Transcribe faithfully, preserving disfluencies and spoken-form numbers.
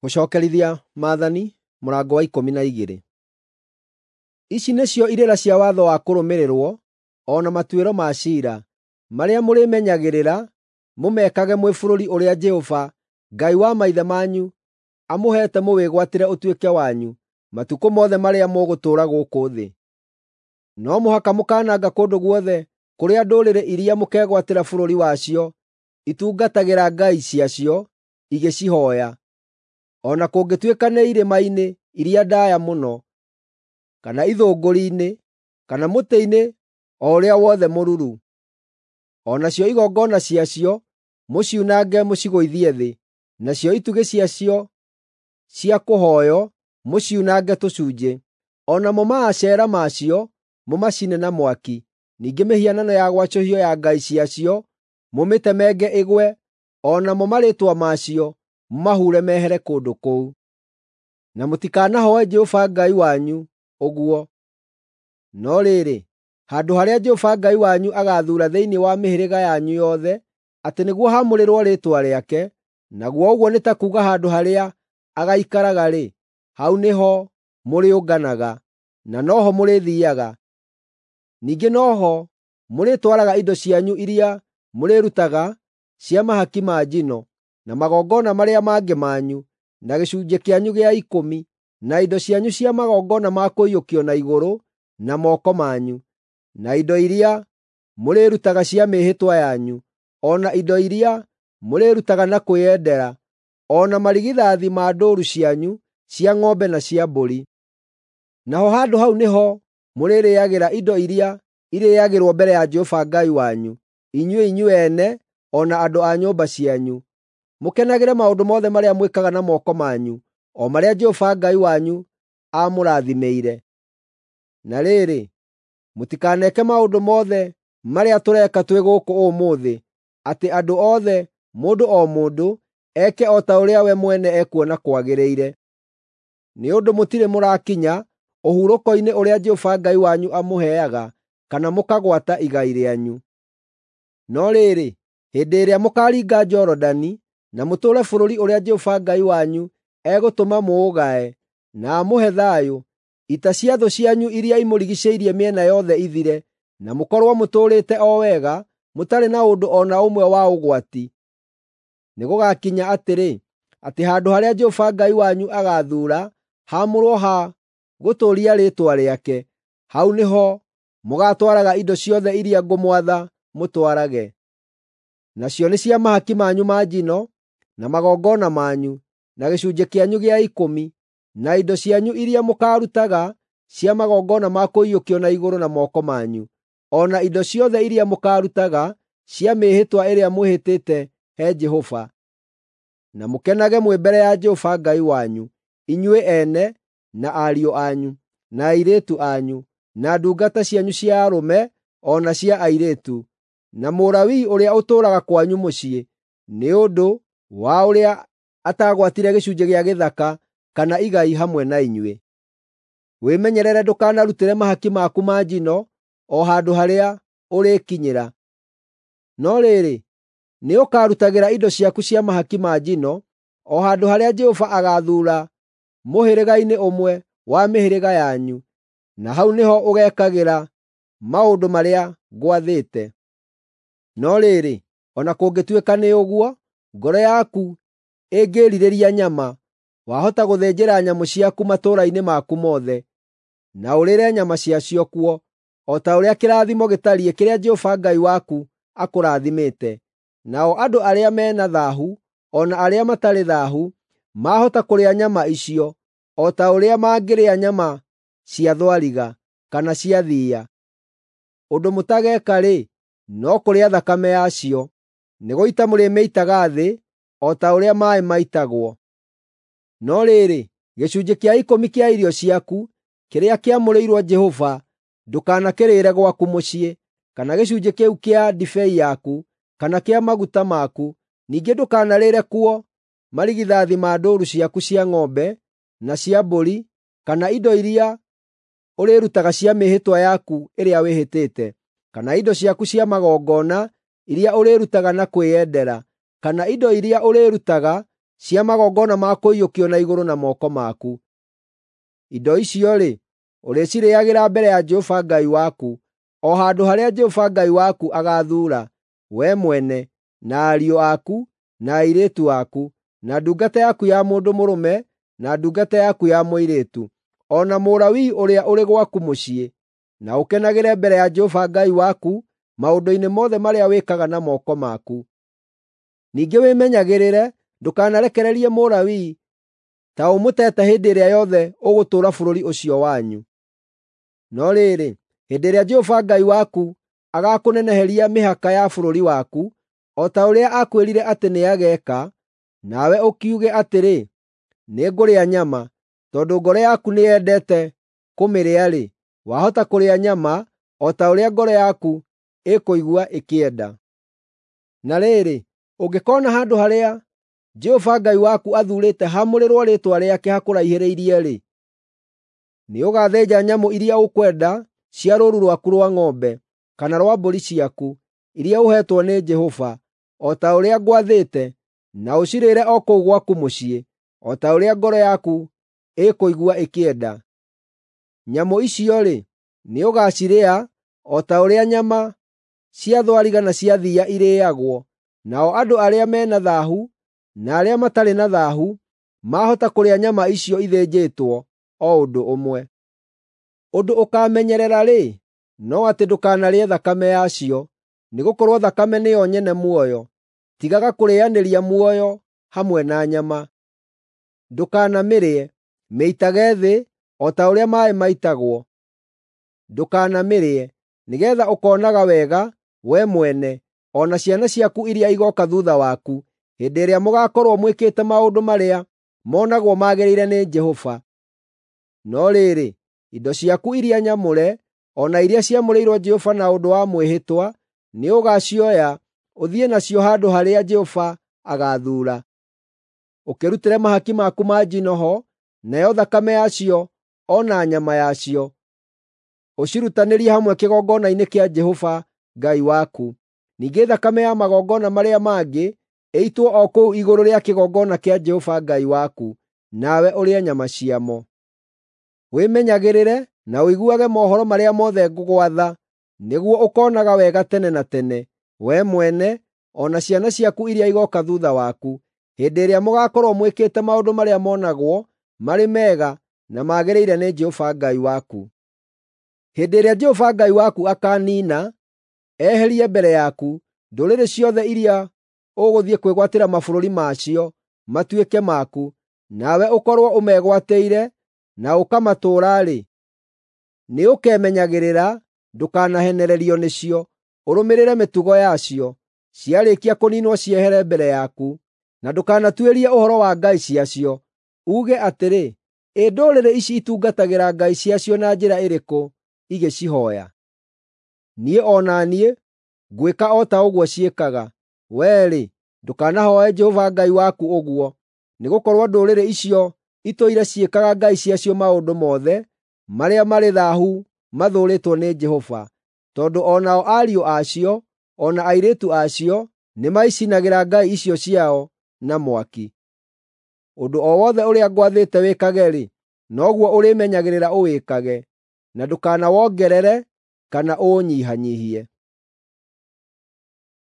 Gũcookerithia Maathani mũrango wa ikũmi na igĩrĩ. Ici nĩcio irĩra cia watho wa kũrũmĩrĩrwo, o na matuĩro ma ciira, marĩa mũrĩmenyagĩrĩra mũmekage mwĩ bũrũri ũrĩa Jehova, Ngai wa maithe manyu, amũheete mũwĩgwatĩre ũtuĩke wanyu matukũ mothe marĩa mũgũtũũra gũkũ thĩ. No mũhaka mũkaananga kũndũ guothe kũrĩa ndũrĩrĩ iria mũkegwatĩra bũrũri wacio itungatagĩra ngai ciacio igĩcihooya, o na kũngĩtuĩka nĩ irĩma-inĩ iria ndaaya mũno, kana ithũngũri-inĩ, kana mũtĩ-inĩ o ũrĩa wothe mũruru. O nacio igongona ciacio mũciunange mũcigũithie thĩ, nacio itugĩ ciacio cia kũhooywo mũciunange tũcunjĩ. O namo maacera macio mũmacine na mwaki. Ningĩ mĩhianano ya gwacũhio ya ngai ciacio mũmĩtemenge ĩgwe, o namo marĩĩtwa macio mũmahure mehere kũndũ kũu. Na mũtikanahooe Jehova Ngai wanyu ũguo. No rĩrĩ, handũ harĩa Jehova Ngai wanyu agaathuura thĩinĩ wa mĩhĩrĩga yanyu yothe atĩ nĩguo haamũrĩrwo Rĩĩtwa rĩake, naguo ũguo nĩ ta kuuga handũ harĩa agaikaraga-rĩ, hau nĩho mũrĩũnganaga, na no ho mũrĩthiiaga. Ningĩ no ho mũrĩtwaraga indo cianyu iria mũrĩrutaga cia mahaki ma njino, na magongona marĩa mangĩ manyu, na gĩcunjĩ kĩanyu gĩa ikũmi, na indo cianyu cia magongona ma kũiyũkio na igũrũ na moko manyu, na indo iria mũrĩrutaga cia mĩĩhĩtwa yanyu, o na indo iria mũrĩrutaga na kwĩyendera, o na marigithathi ma ndũũru cianyu cia ng'ombe na cia mbũri. Naho handũ hau nĩho mũrĩrĩĩagĩra indo iria irĩĩagĩrwo mbere ya Jehova Ngai wanyu, inyuĩ inyuĩ ene o na andũ a nyũmba cianyu. Mũkenagĩre maũndũ mothe marĩa mwĩkaga na moko manyu, o marĩa Jehova Ngai wanyu aamũrathimĩire. Na rĩrĩ, mũtikaneke maũndũ mothe marĩa tũreka twĩ gũkũ ũmũthĩ, atĩ andũ othe, mũndũ o mũndũ, eke o ta ũrĩa we mwene ekuona kwagĩrĩire. Nĩ ũndũ mũtirĩ mũrakinya ũhurũko-inĩ ũrĩa Jehova Ngai wanyu amũheaga, kana mũkagwata igai rĩanyu. No rĩrĩ, hĩndĩ ĩrĩa mũkaaringa Jorodani na mũtũũre bũrũri ũrĩa Jehova Ngai wanyu egũtũma mũũgae, na amũhe thayũ, ita cia thũ cianyu iria imũrigiicĩirie mĩena yothe ithire, na mũkorwo mũtũũrĩte o wega, mũtarĩ na ũndũ o na ũmwe wa ũgwati. Nĩgũgakinya atĩrĩ, atĩ handũ harĩa Jehova Ngai wanyu agaathuura haamũrwo ha gũtũũria Rĩĩtwa rĩake, hau nĩho mũgaatwaraga indo ciothe iria ngũmwatha mũtwarage. Nacio nĩ cia mahaki manyu ma njino, na magongona manyu, na gĩcunjĩ kĩanyu gĩa ikũmi, na indo cianyu iria mũkaarutaga cia magongona ma kũiyũkio na igũrũ na moko manyu, o na indo ciothe iria mũkaarutaga cia mĩĩhĩtwa ĩrĩa mwĩhĩtĩte he Jehova. Na mũkenage mwĩ mbere ya Jehova Ngai wanyu, inyuĩ ene, na ariũ anyu, na airĩtu anyu, na ndungata cianyu cia arũme o na cia airĩtu, na Mũlawii ũrĩa ũtũũraga kwanyu mũciĩ, nĩ ũndũ wa ũrĩa atagwatire gĩcunjĩ gĩa gĩthaka kana igai hamwe na inyuĩ. Wĩmenyerere ndũkanarutĩre mahaki maku ma njino o handũ harĩa ũrĩkinyĩra. No rĩrĩ, nĩũkarutagĩra indo ciaku cia mahaki ma njino o handũ harĩa Jehova agaathuura mũhĩrĩga-inĩ ũmwe wa mĩhĩrĩga yanyu, na hau nĩho ũgeekagĩra maũndũ marĩa ngwathĩte. No rĩrĩ, o na kũngĩtuĩka nĩ ũguo, ngoro yaku ĩngĩĩrirĩria nyama, wahota gũthĩnjĩra nyamũ ciaku matũũra-inĩ maku mothe, na ũrĩĩre nyama ciacio kuo, o ta ũrĩa kĩrathimo gĩtariĩ kĩrĩa Jehova Ngai waku akũrathimĩte. Nao andũ arĩa me na thaahu o na arĩa matarĩ thaahu maahota kũrĩa nyama icio, o ta ũrĩa mangĩrĩa nyama cia thwariga kana cia thiiya. Ũndũ mũtageeka-rĩ, no kũrĩa thakame yacio, nĩgũita mũrĩmĩitaga thĩ o ta ũrĩa maaĩ maitagwo. No rĩrĩ, gĩcunjĩ kĩa ikũmi kĩa irio ciaku kĩrĩa kĩamũrĩirwo Jehova ndũkanakĩrĩĩre gwaku mũciĩ, kana gĩcunjĩ kĩu kĩa ndibei yaku, kana kĩa maguta maku. Ningĩ ndũkanarĩĩre kuo marigithathi ma ndũũru ciaku cia ng'ombe na cia mbũri, kana indo iria ũrĩrutaga cia mĩĩhĩtwa yaku ĩrĩa wĩhĩtĩte, kana indo ciaku cia magongona iria ũrĩrutaga na kwĩyendera, kana indo iria ũrĩrutaga cia magongona ma kũiyũkio na igũrũ na moko maku. Indo icio-rĩ, ũrĩcirĩĩagĩra mbere ya Jehova Ngai waku, o handũ harĩa Jehova Ngai waku agaathuura, wee mwene, na ariũ aku, na airĩtu aku, na ndungata yaku ya mũndũ mũrũme, na ndungata yaku ya mũirĩtu, o na Mũlawii ũrĩa ũrĩ gwaku mũciĩ, na ũkenagĩre mbere ya Jehova Ngai waku maũndũ-inĩ mothe marĩa wĩkaga na moko maku. Ningĩ wĩmenyagĩrĩre ndũkanarekererie Mũlawii ta ũmũteete hĩndĩ ĩrĩa yothe ũgũtũũra bũrũri ũcio wanyu. No rĩrĩ, hĩndĩ ĩrĩa Jehova Ngai waku agaakũneneheria mĩhaka ya bũrũri waku, o ta ũrĩa aakwĩrire atĩ nĩageeka, nawe ũkiuge atĩrĩ, “Nĩngũrĩa nyama,” tondũ ngoro yaku nĩyendete kũmĩrĩa-rĩ, wahota kũrĩa nyama o ta ũrĩa ngoro yaku ĩkũigua ĩkĩenda. Na rĩrĩ, ũngĩkoona handũ harĩa Jehova Ngai waku athuurĩte haamũrĩrwo Rĩĩtwa rĩake hakũraihĩrĩirie-rĩ, nĩũgathĩnja nyamũ iria ũkwenda cia rũũru rwaku rwa ng'ombe, kana rwa mbũri ciaku, iria ũheetwo nĩ Jehova, o ta ũrĩa ngwathĩte, na ũcirĩĩre o kũu gwaku mũciĩ, o ta ũrĩa ngoro yaku ĩkũigua ĩkĩenda. Nyamũ icio-rĩ, nĩũgacirĩa o ta ũrĩa nyama cia thwariga na cia thiiya irĩĩagwo, nao andũ arĩa me na thaahu na arĩa matarĩ na thaahu maahota kũrĩa nyama icio ithĩnjĩtwo o ũndũ ũmwe. Ũndũ ũkaamenyerera-rĩ, no atĩ ndũkanarĩe thakame yacio, nĩgũkorwo thakame nĩyo nyene muoyo. Tigaga kũrĩanĩria muoyo hamwe na nyama. Ndũkanamĩrĩe, mĩitage thĩ o ta ũrĩa maaĩ maitagwo. Ndũkanamĩrĩe, nĩgeetha ũkoonaga wega wee mwene, o na ciana ciaku iria igooka thuutha waku, hĩndĩ ĩrĩa mũgaakorwo mwĩkĩte maũndũ marĩa monagwo magĩrĩire nĩ Jehova. No rĩrĩ, indo ciaku iria nyamũre, o na iria ciamũrĩirwo Jehova na ũndũ wa mwĩhĩtwa, nĩũgacioya ũthiĩ nacio handũ harĩa Jehova agaathuura. Ũkĩrutĩre mahaki maku ma njino ho, nayo thakame yacio o na nyama yacio, ũcirutanĩrie hamwe kĩgongona-inĩ kĩa Jehova Ngai waku. Ningĩ thakame ya magongona marĩa mangĩ ĩitwo o kũu igũrũ rĩa kĩgongona kĩa Jehova Ngai waku, nawe ũrĩe nyama ciamo. Wĩmenyagĩrĩre na ũiguage mohoro marĩa mothe ngũgwatha, nĩguo ũkoonaga wega tene na tene, wee mwene o na ciana ciaku iria igooka thuutha waku, hĩndĩ ĩrĩa mũgaakorwo mwĩkĩte maũndũ marĩa monagwo marĩ mega na magĩrĩire nĩ Jehova Ngai waku. Hĩndĩ ĩrĩa Jehova Ngai waku akaaniina, eherie mbere yaku ndũrĩrĩ ciothe iria ũgũthiĩ kwĩgwatĩra mabũrũri macio matuĩke maku, nawe ũkorwo ũmegwatĩire na ũkamatũũra-rĩ, nĩũkemenyagĩrĩra ndũkanahenererio nĩcio, ũrũmĩrĩre mĩtugo yacio, ciarĩkia kũniinwo ciehere mbere yaku, na ndũkanatuĩrie ũhoro wa ngai ciacio, uuge atĩrĩ, “Ĩ ndũrĩrĩ ici itungatagĩra ngai ciacio na njĩra ĩrĩkũ igĩcihooya?” Niĩ o na niĩ ngwĩka o ta ũguo ciĩkaga. Wee-rĩ, ndũkanahooe Jehova Ngai waku ũguo, nĩgũkorwo ndũrĩrĩ icio itũire ciĩkaga ngai ciacio maũndũ mothe marĩa marĩ thaahu mathũũrĩtwo nĩ Jehova, tondũ o nao ariũ a cio o na airĩtu a cio nĩmaicinagĩra ngai icio ciao na mwaki. Ũndũ o wothe ũrĩa ngwathĩte wĩkage-rĩ, noguo ũrĩmenyagĩrĩra ũwĩkage, na ndũkanawongerere kana ũũnyihanyiihie.